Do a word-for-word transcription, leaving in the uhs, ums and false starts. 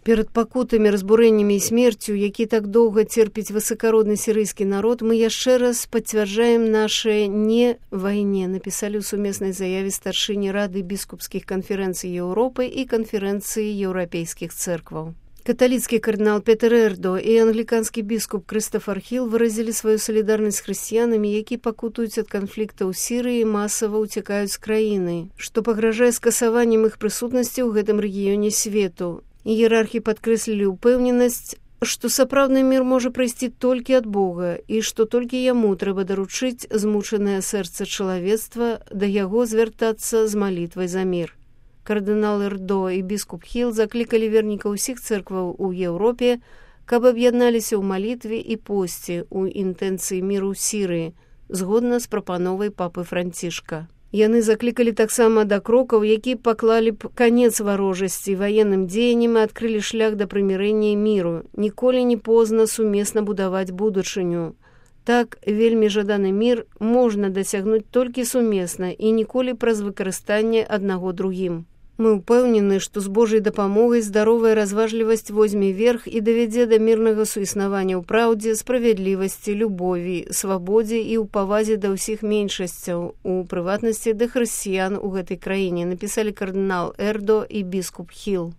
Перад пакутамі, разбурэннямі і смерцю, які так доўга церпіць высакародны сірыйскі народ, мы яшчэ раз пацвярджаем нашае «не вайне», напісалі ў сумеснай заяве старшыні Рады біскупскіх канферэнцый Еўропы і канферэнцыі еўрапейскіх цэркваў. Каталіцкі кардынал Петер Эрдо і англіканскі біскуп Крыстафар Хіл выразілі сваю салідарнасць з хрысціянамі, які пакутуюць ад канфлікта ў Сірыі і масава ўцякаюць з краіны, што пагражае скасаваннем іх прысутнасці ў гэтым рэгіёне свету. Іерархі падкрэслілі ўпэўненасць, што сапраўдны мір можа прыйсці толькі ад Бога і што толькі яму трэба даручыць змучанае сэрца чалавецтва да яго звяртацца з малітвай за мір. Кардынал Эрдо і біскуп Хіл заклікалі вернікаў усіх цэркваў у Еўропе, каб аб'ядналіся ў малітве і посце ў інтэнцыі міру ў Сірыі, згодна з прапановай папы Францішка. Яны заклікалі таксама да крокаў, які паклалі б канец варожасці ваенным дзеянням і адкрылі шлях да прымірэння і міру. Ніколі не позна сумесна будаваць будучыню. Так, вельмі жаданы мір можна дасягнуць толькі сумесна і ніколі праз выкарыстанне аднаго другім. Мы ўпэўнены, што з Божай дапамогай здаровая разважлівасць возьме верх і давядзе да мірнага суіснавання ў праўдзе, справядлівасці, любові, свабодзе і ў павазе да ўсіх меншасцяў, у прыватнасці да хрысціян у гэтай краіне, напісалі кардынал Эрдо і біскуп Хіл.